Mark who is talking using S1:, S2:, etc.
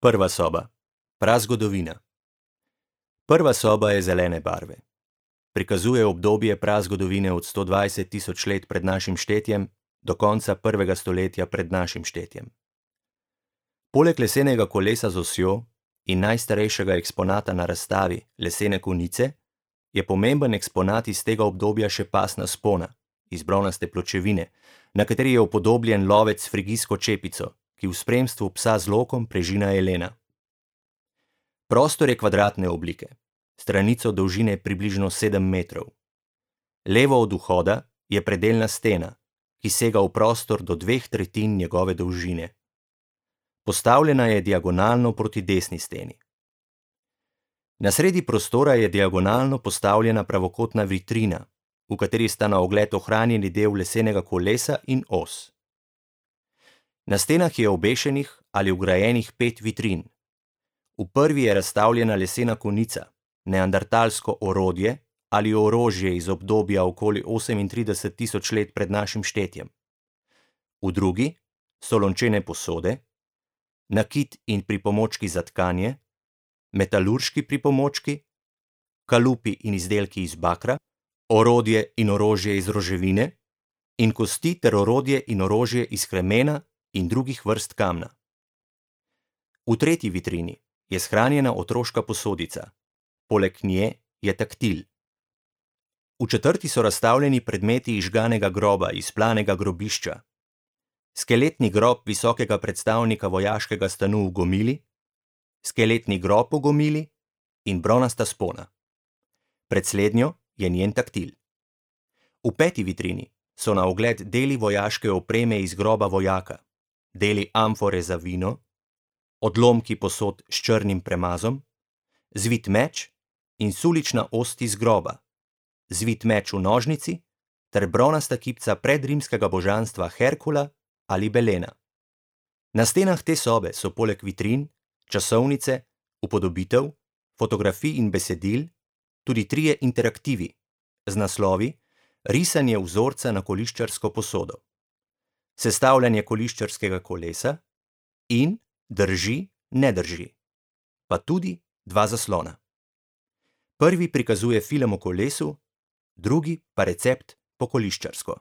S1: Prva soba. Prazgodovina. Prva soba je zelene barve. Prikazuje obdobje prazgodovine od 120 tisoč let pred našim štetjem do konca 1. stoletja pred našim štetjem. Poleg lesenega kolesa z osjo in najstarejšega eksponata na razstavi, lesene konice, je pomemben eksponat iz tega obdobja še pasna spona, iz bronaste pločevine, na kateri je upodobljen lovec s frigijsko čepico, ki v spremstvu psa z lokom prežina jelena. Prostor je kvadratne oblike, stranico dolžine približno 7 metrov. Levo od vhoda je predelna stena, ki sega v prostor do 2/3 njegove dolžine. Postavljena je diagonalno proti desni steni. Na sredi prostora je diagonalno postavljena pravokotna vitrina, v kateri sta na ogled ohranjeni del lesenega kolesa in os. Na stenah je obešenih ali vgrajenih 5 vitrin. V prvi je razstavljena lesena konica, neandertalsko orodje ali orožje iz obdobja okoli 38 tisoč let pred našim štetjem. V drugi so lončene posode, nakit in pripomočki za tkanje, metalurški pripomočki, kalupi in izdelki iz bakra, orodje in orožje iz roževine in kosti ter orodje in orožje iz kremena in drugih vrst kamna. V tretji vitrini je shranjena otroška posodica, poleg nje je taktil. V četrti so razstavljeni predmeti izžganega groba iz planega grobišča, skeletni grob visokega predstavnika vojaškega stanu v Gomili, skeletni grob v Gomili in bronasta spona. Pred slednjo je njen taktil. V peti vitrini so na ogled deli vojaške opreme iz groba vojaka, deli amfore za vino, odlomki posod s črnim premazom, zvit meč in sulična ost iz groba, zvit meč v nožnici ter bronasta kipca predrimskega božanstva Herkula ali Belena. Na stenah te sobe so poleg vitrin, časovnice, upodobitev, fotografij in besedil tudi 3 interaktivi z naslovi Risanje vzorca na koliščarsko posodo, Sestavljanje koliščarskega kolesa in Drži, ne drži, pa tudi 2 zaslona. Prvi prikazuje film o kolesu, drugi pa recept po koliščarsko.